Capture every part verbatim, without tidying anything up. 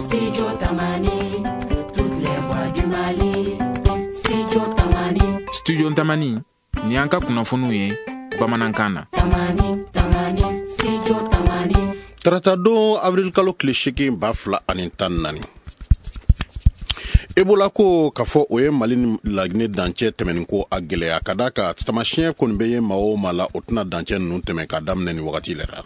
Studio Tamani, toutes les voix du Mali. Studio Tamani. Studio Tamani, ni an ka kunnafoniw ye bamanankan na. Tamani, Tamani, Studio Tamani. Tarata don, avril kalo tile seegin ba fila ani tan naani, Ebola ko k'a fɔ o ye Mali ni Laginɛ dancɛ tɛmɛnin ko a gɛlɛya, ka da kan tamasiyɛn kɔni bɛ ye maa o maa la, o tɛna dancɛ ninnu tɛmɛ k'a daminɛ nin wagati yɛrɛ la.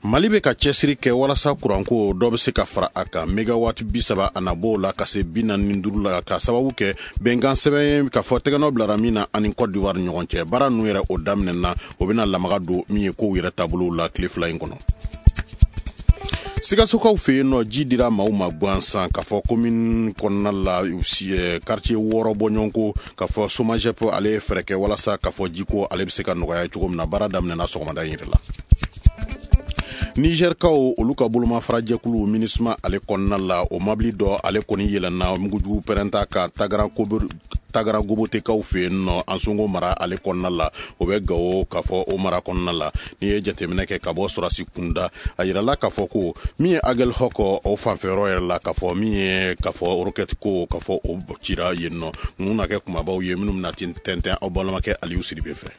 Mali bɛ ka cɛsiri kɛ walasa kuranko dɔ bɛ se ka fara a kan, mégawatt bi saba a na b'o la ka se bi naani ni duuru la, ka sababu kɛ bɛnkan sɛbɛn ye k'a fɔ tɛgɛnɔ bilara min na ani Côte d'Ivoire ni ɲɔgɔn cɛ. Baara ninnu yɛrɛ, o daminɛna, o bɛna lamaga don min ye kow yɛrɛ taabolow la tile fila in kɔnɔ. Sikasokaw fɛ yen nɔ, ji dira maaw ma gansan k'a fɔ commune kɔnɔna la, quartier wɔɔrɔ bɔɲɔgɔnko, k'a fɔ SOMAGEP ale ye fɛɛrɛ kɛ walasa k'a fɔ jiko ale bɛ se ka nɔgɔya cogo min na. Baara daminɛna sɔgɔmada in yɛrɛ la. Nizɛrikaw olu ka bolomafarajɛkulu MINUSMA ale kɔnɔna la, o mabili dɔ ale kɔni yɛlɛnna mugujugu pɛrɛnta ka Tagara Gobotekaw fɛ yen nɔ, Ansongo mara ale kɔnɔna la, o bɛ Gawo k'a fɔ o mara kɔnɔna la. N'i ye jateminɛ kɛ ka bɔ sɔrɔsi kunda, a yirala k'a fɔ ko min ye Aguelhok o fanfɛyɔrɔ yɛrɛ la, k'a fɔ min ye k'a fɔ roquette ko k'a fɔ o cira yen nɔ. Ninnu na kɛ kumabaw ye minnu bɛna tɛntɛn aw balimakɛ Aliyu Sidibe fɛ.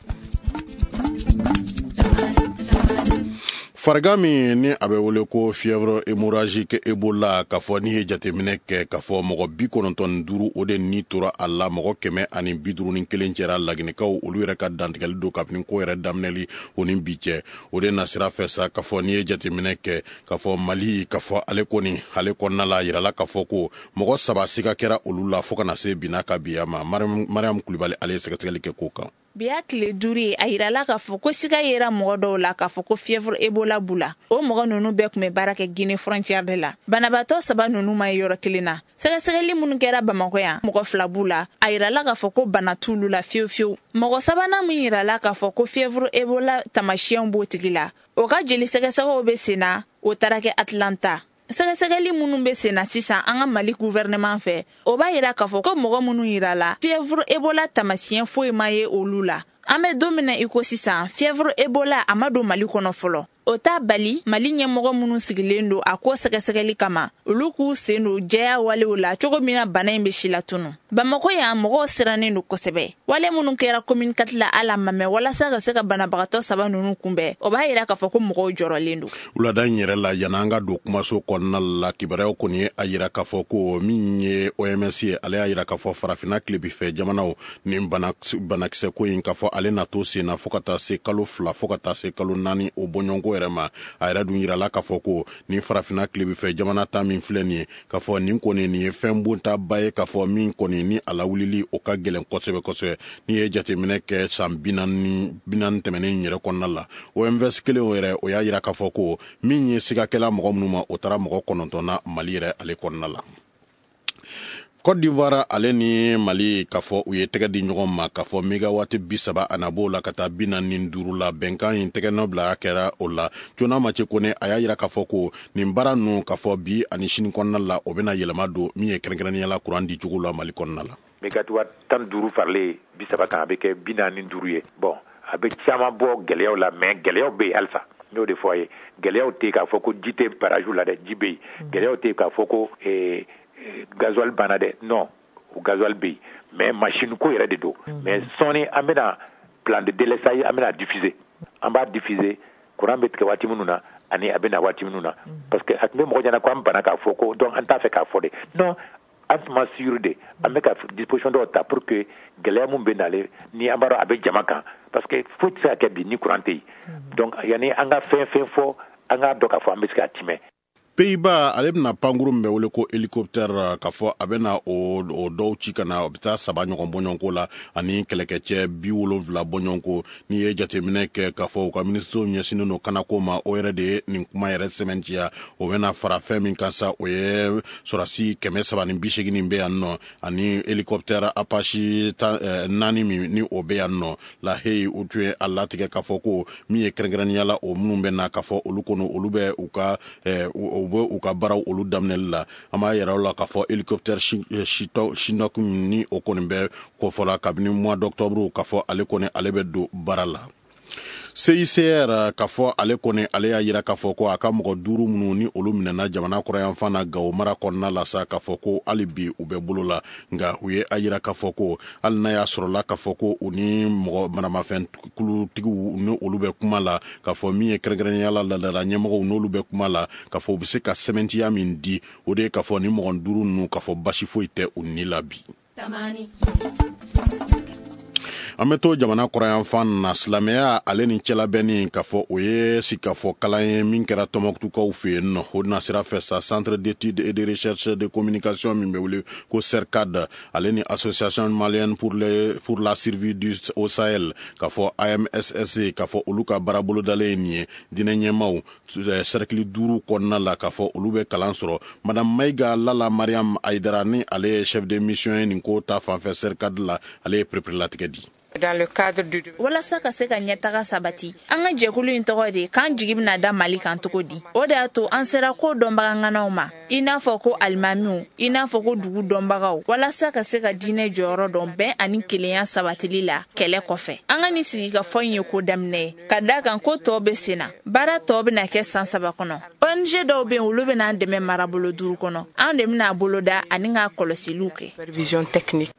Farigan min ni a bɛ wele ko fièvre hémorragique Ebola, k'a fɔ n'i ye jateminɛ kɛ k'a fɔ mɔgɔ bi kɔnɔntɔn ni duuru o de ni tora a la, mɔgɔ kɛmɛ ani bi duuru ni kelen cɛra Laginɛkaw olu yɛrɛ ka dantigɛli don kabini ko yɛrɛ daminɛli o ni bi cɛ. O de nasira fɛ sa, k'a fɔ n'i ye jateminɛ kɛ k'a fɔ Mali, k'a fɔ ale kɔni ale kɔnɔna la, a yirala k'a fɔ ko mɔgɔ saba siga kɛra olu la fo ka na se bi n'a ka biya ma. Mariam Kulibali ale ye sɛgɛsɛgɛli kɛ ko kan. Bi y'a tile duuru ye, a yirala k'a fɔ ko siga yera mɔgɔ dɔw la k'a fɔ ko fièvre Ebola b'u la. O mɔgɔ ninnu bɛɛ tun bɛ baara kɛ Guinée frontière de la. Banabaatɔ saba ninnu ma ye yɔrɔ kelen na. Sɛgɛsɛgɛli minnu kɛra Bamakɔ yan, mɔgɔ fila b'u la, a yirala k'a fɔ ko bana t'olu la fiyewu fiyewu. Mɔgɔ sabanan min yirala k'a fɔ ko fièvre Ebola tamasiyɛnw b'o tigi la, o ka jeli sɛgɛsɛgɛw bɛ sen na, o taara kɛ Atlanta. Sɛgɛsɛgɛli minnu bɛ sen na sisan an ka Mali gouvernement fɛ, o b'a yira k'a fɔ ko mɔgɔ minnu yirala fièvre Ebola tamasiyɛn foyi ma ye olu la. An bɛ don min na i ko sisan, fièvre Ebola a ma don Mali kɔnɔ fɔlɔ. O t'a bali Mali ɲɛmɔgɔ minnu sigilen don a ko sɛgɛsɛgɛli kama, olu k'u sen don jɛya walew la cogo min na bana in bɛ si latunu. Bamakɔ yan, mɔgɔw sirannen don kosɛbɛ. Wale minnu kɛra commune quatre la ala ma mɛn walasa ka se ka banabagatɔ saba ninnu kunbɛn, o b'a yira k'a fɔ ko mɔgɔw jɔrɔlen don. Wulada in yɛrɛ la, yan'an ka don kumaso kɔnɔna la, kibaruyaw kɔni ye a yira k'a fɔ ko min ye O M S ye, ale y'a yira k'a fɔ farafinna tilebinfɛ jamanaw ni banakisɛ ko in, k'a fɔ ale na to sen na fo ka taa se kalo fila, fo ka taa se kalo naani o bɔɲɔgɔnko yɛrɛ ma. A yɛrɛ dun yirala k'a fɔ ko ni farafinna tilebinfɛ jamana ta min filɛ nin ye, k'a fɔ nin kɔni nin ye fɛn bontaba ye, k'a fɔ min kɔni ni a lawulili o ka gɛlɛn kosɛbɛ kosɛbɛ. N'i ye jateminɛ kɛ san bi naani tɛmɛnen yɛrɛ kɔnɔna la, O M S kelen o yɛrɛ, o y'a yira k'a fɔ ko min ye sigakɛla mɔgɔ minnu ma, o taara mɔgɔ kɔnɔntɔn na Mali yɛrɛ ale kɔnɔna la. Côte d'Ivoire ale ni Mali, k'a fɔ u ye tɛgɛ di ɲɔgɔn ma k'a fɔ mégawatt bi saba a na b'o la ka taa bi naani ni duuru la. Bɛnkan in tɛgɛnɔ bila kɛra o la. Jona Mace Kone a y'a yira k'a fɔ ko nin baara ninnu, k'a fɔ bi ani sini kɔnɔna la, o bɛna yɛlɛma don min ye kɛrɛnkɛrɛnnenya la kuran di cogo la Mali kɔnɔna la. Mégawatt tan duuru faralen bi saba kan, a bɛ kɛ bi naani duuru ye. Bon, a bɛ caman bɔ gɛlɛyaw la, mais gɛlɛyaw bɛ yen halisa. N y'o de fɔ a ye, gɛlɛyaw tɛ k'a fɔ ko ji tɛ barrage la dɛ, ji bɛ yen. Gɛlɛyaw tɛ k'a fɔ ko gasoil banna dɛ, non, o gasoil bɛ yen, mais machine ko yɛrɛ de don. Mais sɔɔni an bɛna plan de délestage, an bɛna diffuser, an b'a diffuser courant bɛ tigɛ waati minnu na ani a bɛ na waati minnu na, parce que a tun bɛ mɔgɔ ɲɛna ko an banna k'a fɔ ko donc an t'a fɛ k'a fɔ de. Non, an tun ma sûr de, an bɛ ka disposition dɔw ta pour que gɛlɛya mun bɛ nalen ni an b'a dɔn a bɛ jama kan, parce que foyi tɛ se ka kɛ bi ni courant tɛ yen. Donc yanni an ka fɛn fɛn fɔ, an k'a dɔn k'a fɔ an bɛ se k'a timɛ. Pays-Bas ale bɛna pankuru min bɛ wele ko hélicoptère, k'a fɔ a bɛna o o dɔw ci ka na, o bɛ taa saba ɲɔgɔn bɔɲɔgɔnko la ani kɛlɛkɛcɛ bi wolonfila bɔɲɔgɔnko. N'i ye jateminɛ kɛ k'a fɔ u ka minisiriw ɲɛsinnen don kanako ma, o yɛrɛ de ye nin kuma yɛrɛ sɛmɛntiya. O bɛna fara fɛn min kan sa, o ye sɔrɔsi kɛmɛ saba ni bi seegin bɛ yan nɔ ani hélicoptère Apache naani min ni o bɛ yan nɔ. La Haye, u tun ye a latigɛ k'a fɔ ko min ye kɛrɛnkɛrɛnnenya la, o minnu bɛ na, k'a fɔ olu kɔni olu bɛ u ka u bɛ u ka baaraw olu daminɛli la. An b'a yɛrɛ la k'a fɔ hélicoptère Chinook ni o kɔni bɛ kofɔla kabini mois d'octobre, k'a fɔ ale kɔni ale bɛ don baara la. C I C R k'a fɔ ale kɔni ale y'a yira k'a fɔ ko a ka mɔgɔ duuru minnu ni olu minɛna jamana kɔrɔyanfan na Gawo mara kɔnɔna la sa, k'a fɔ ko hali bi u bɛ bolo la, nka u ye a yira k'a fɔ ko hali n'a y'a sɔrɔla k'a fɔ ko u ni mɔgɔ maramafɛn kulutigiw ni olu bɛ kuma la, k'a fɔ min ye kɛrɛnkɛrɛnnenya la laadala ɲɛmɔgɔw n'olu bɛ kuma la, k'a fɔ u bɛ se ka sɛmɛntiya min di, o de ye k'a fɔ ni mɔgɔ duuru ninnu k'a fɔ basi foyi tɛ u ni la bi. An bɛ to jamana kɔrɔyanfan na, silamɛya ale ni cɛlabɛnni k'a fɔ o ye sigikafɔ kalan ye min kɛra Tɔnbɔkutukaw fɛ yen nɔ. O nasira fɛ sa, Centre d'études et de recherche de communication min bɛ wele ko CERCAD, ale ni Association malienne pour, les, pour la survie du au Sahel, k'a fɔ A M S S C, k'a fɔ olu ka baara bolodalen ye nin ye diinɛ ɲɛmaaw cercle duuru kɔnɔna la, k'a fɔ olu bɛ kalan sɔrɔ. Madame Mayiga Lala Mariam Aïdara ni ale ye chef de mission ye nin ko ta fanfɛ CERCAD la, ale ye pereperelatigɛ di. Dans le cadre du... Walasa ka se ka ɲɛtaga sabati, an ka jɛkulu in tɔgɔ de k'an jigi bɛna da Mali kan cogo di. O de y'a to an sera ko dɔnbagaŋanaw ma, i n'a fɔ ko alimamiw, i n'a fɔ ko dugu dɔnbagaw, walasa ka se ka diinɛ jɔyɔrɔ dɔn bɛn ani kelenya sabatili la kɛlɛ kɔfɛ. An ka nin sigikafɔ in ye ko daminɛ ye, ka da kan ko tɔw bɛ sen na. Baara tɔw bɛna kɛ san saba kɔnɔ. O N G dɔw bɛ yen, olu bɛna an dɛmɛ marabolo duuru kɔnɔ. An de bɛna a boloda ani k'a kɔlɔsiliw kɛ.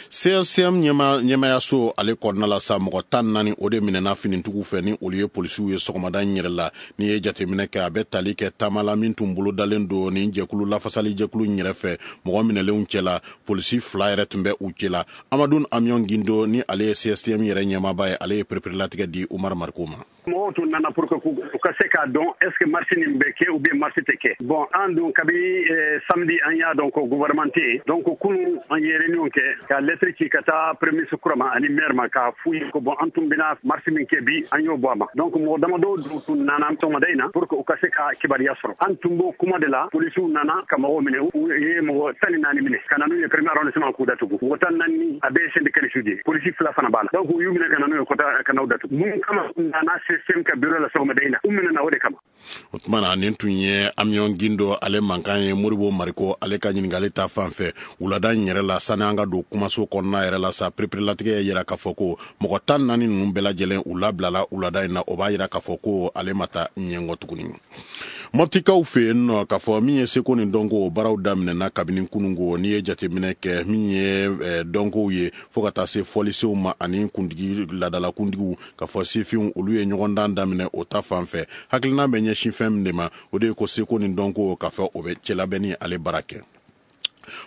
C S T M ɲɛmayaso ale kɔnɔna la sa, mɔgɔ tan naani o de minɛna finitigiw fɛ ni olu ye polisiw ye sɔgɔmada in yɛrɛ la. N'i ye jateminɛ kɛ, a bɛ tali kɛ taama la min tun bolodalen don nin jɛkulu lafasali jɛkulu in yɛrɛ fɛ. Mɔgɔ minɛlenw cɛla, polisi fila yɛrɛ tun bɛ u cɛla. Amadu Amion Gindo ni ale ye C S T M yɛrɛ ɲɛmaaba ye, ale ye pereperelatigɛ di Umar Mariko ma. Mɔgɔw tun nana pour que u ka se k'a dɔn est ce que marche nin bɛ kɛ ou bien marche tɛ kɛ. Bon, an dun kabi samedi an y'a dɔn ko gouvernement tɛ yen. Donc kunun an ye réunion kɛ ka lettre ci ka taa premier ministre kura ma ani maire ma k'a f'u ye ko bon, an tun bɛna marche min kɛ bi, an y'o bɔ a ma. Donc mɔgɔ damadɔw dun tun nana sɔgɔmada in na pour que u ka se ka kibaruya sɔrɔ. An tun b'o kuma de la, polisiw nana ka mɔgɔw minɛ, u ye mɔgɔ tan ni naani minɛ ka na n'u ye premier arrondissement k'u datugu. Mɔgɔ tan naani a bɛɛ ye syndicaliste de ye, polisi fila fana b'a la. Donc u y'u minɛ ka na n'u ye ka n'u datugu. Mun kama u nana C S T M ka bureau la sɔgɔmada in na, u minɛna o de kama. O tuma na nin tun ye Amion Gindo ale mankan ye Moribo Mariko ale ka ɲininkali ta fan fɛ wulada in yɛrɛ la. Sani an ka don kumaso kɔnɔna yɛrɛ la sa, pereperelatigɛ yira k'a fɔ ko mɔgɔ tan naani ninnu bɛɛ lajɛlen u labilala wulada in na. O b'a yira k'a fɔ ko ale ma taa ɲɛngɔ tuguni. Mɔptikaw fɛ yen nɔ, k'a fɔ min ye seko ni dɔnko o baaraw daminɛna kabini kununko. N'i ye jateminɛ kɛ min ye dɔnkow ye fo ka taa se fɔlisenw ma ani kuntigi laadala kuntigiw, k'a fɔ sifinw olu ye ɲɔgɔndan daminɛ o ta fan fɛ. Hakilina bɛ ɲɛsin fɛn min de ma, o de ye ko seko ni dɔnko k'a fɔ o bɛ cɛlabɛnni ale baara kɛ.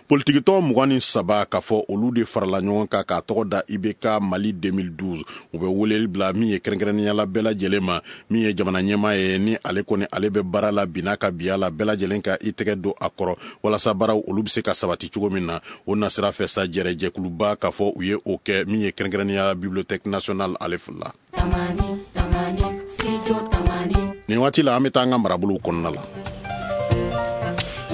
Politikitɔn mugan ni saba k'a fɔ olu de farala ɲɔgɔn kan k'a tɔgɔ da I B K Mali deux mille douze. U bɛ weleli bila min ye kɛrɛnkɛrɛnnenya la bɛɛ lajɛlen ma, min ye jamana ɲɛmaa ye ni ale kɔni ale bɛ baara la bi n'a ka biya la, bɛɛ lajɛlen ka i tɛgɛ don a kɔrɔ walasa baaraw olu bɛ se ka sabati cogo min na. O nasira fɛ sa, jɛrɛjɛkuluba k'a fɔ u ye o kɛ min ye kɛrɛnkɛrɛnnenya la Bibliothèque nationale ale fila. Nin waati la an bɛ taa an ka marabolow kɔnɔna la.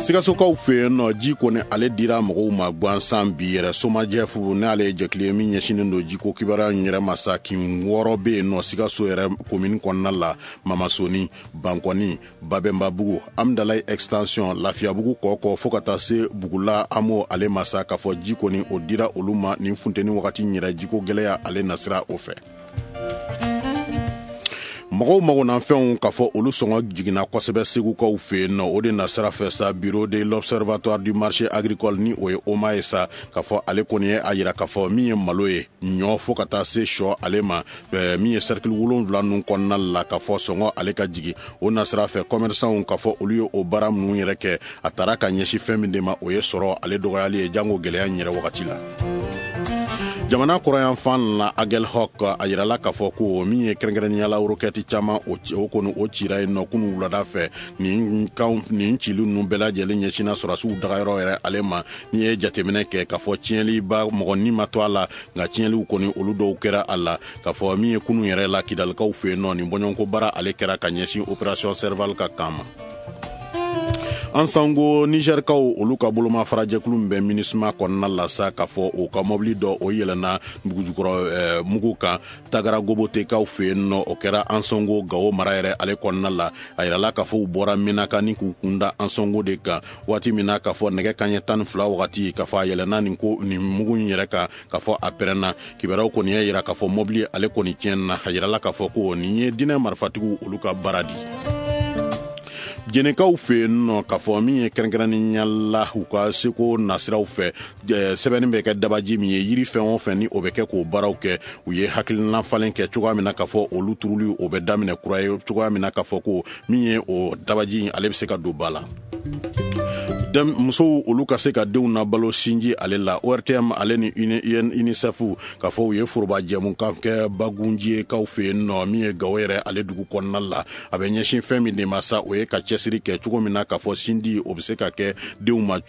Sikasokaw fɛ yen nɔ, ji kɔni ale dira mɔgɔw ma gansan bi yɛrɛ. Somajɛfu n'ale ye jɛkulu ye min ɲɛsinnen don jiko kibaruya in yɛrɛ ma sa, kin wɔɔrɔ bɛ yen nɔ Sikaso yɛrɛ komini kɔnɔna la: Mamasoni, Bankɔni, Babɛnbabugu, Amdalayi extension, Lafiyabugu kɔkɔ fo ka taa se Bugula Amo ale ma sa, k'a fɔ ji kɔni o dira olu ma nin funteni wagati yɛrɛ jiko gɛlɛya ale nasira o fɛ. Mɔgɔw magonafɛnw k'a fɔ olu sɔngɔ jiginna kosɛbɛ Segukaw fɛ yen nɔ. O de nasira fɛ sa, bureau de l'observatoire du marché agricole ni o ye O M A ye sa, k'a fɔ ale kɔni ye a yira k'a fɔ min ye malo ye, ɲɔ fo ka taa se sɔ ale ma, min ye cercle wolonwula ninnu kɔnɔna la, k'a fɔ sɔngɔ ale ka jigin. O nasira fɛ commerçants k'a fɔ olu ye o baara minnu yɛrɛ kɛ, a taara ka ɲɛsin fɛn min de ma, o ye sɔrɔ ale dɔgɔyali ye jango gɛlɛya in yɛrɛ wagati la. Jamana kɔrɔyanfan la, Aguelhok a yirala k'a fɔ ko min ye kɛrɛnkɛrɛnnenya la rokɛti caman o kɔni o cira yen nɔ kunun wulada fɛ. Nin kan nin cili ninnu bɛɛ lajɛlen ɲɛsinna sɔrɔdasiw dagayɔrɔ yɛrɛ ale ma. N'i ye jateminɛ kɛ k'a fɔ tiɲɛliba mɔgɔ ni ma to a la, nka tiɲɛliw kɔni olu dɔw kɛra a la. K'a fɔ min ye kunun yɛrɛ la Kidalikaw fɛ yen nɔ, nin bɔɲɔgɔnko baara ale kɛra ka ɲɛsin opération Serval ka kan ma. An sango Nizɛrikaw, olu ka bolomafarajɛkulu min bɛ MINUSMA kɔnɔna la sa, k'a fɔ o ka mɔbili dɔ o yɛlɛnna dugujukɔrɔ mugu kan Tagara Gobotekaw fɛ yen nɔ. O kɛra Ansɔngo, Gawo mara yɛrɛ ale kɔnɔna la. A yirala k'a fɔ u bɔra Menaka ni k'u kunda Ansɔngo de kan waati min na, k'a fɔ nɛgɛ kaɲɛ tan ni fila wagati, k'a fɔ a yɛlɛnna nin ko nin mugu in yɛrɛ kan, k'a fɔ a pɛrɛnna. Kibaruyaw kɔni y'a yira k'a fɔ mɔbili ale kɔni tiɲɛna. A yirala k'a fɔ ko nin ye diinɛ marifatigiw olu ka baara di. Jɛnɛkaw fɛ yen nɔ, k'a fɔ min ye kɛrɛnkɛrɛnnenya la u ka seko nasiraw fɛ, sɛbɛnni bɛ kɛ dabaji min ye, yiri fɛn o fɛn ni o bɛ kɛ k'o baaraw kɛ, u ye hakilina falen kɛ cogoya min na k'a fɔ olu turuli o bɛ daminɛ kura ye cogoya min na, k'a fɔ ko min ye o dabaji ale bɛ se ka don ba la. Musow olu ka se ka denw nabalo sinji ale la, O R T M ale ni UNICEF, k'a fɔ u ye foroba jɛmukan kɛ Bagunjiyekaw fɛ yen nɔ, min ye Gawo yɛrɛ ale dugu kɔnɔna la. A bɛ ɲɛsin fɛn min de ma sa, o ye ka cɛsiri kɛ cogo min na k'a fɔ sindi o bɛ se ka kɛ denw ma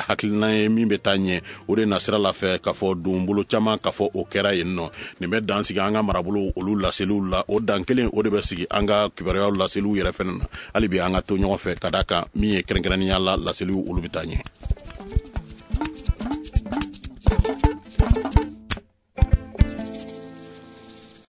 hakilina ye min bɛ taa ɲɛ. O de nasira la fɛ, k'a fɔ donbolo caman, k'a fɔ o kɛra yen nɔ. Nin bɛ dan sigi an ka marabolo olu laseliw la. O dan kelen o de bɛ sigi an ka kibaruyaw laseliw yɛrɛ fɛnɛ na. Hali bi an ka to ɲɔgɔn fɛ, ka d'a kan min ye kɛrɛnkɛrɛnnenya la laseliw olu bɛ taa ɲɛ.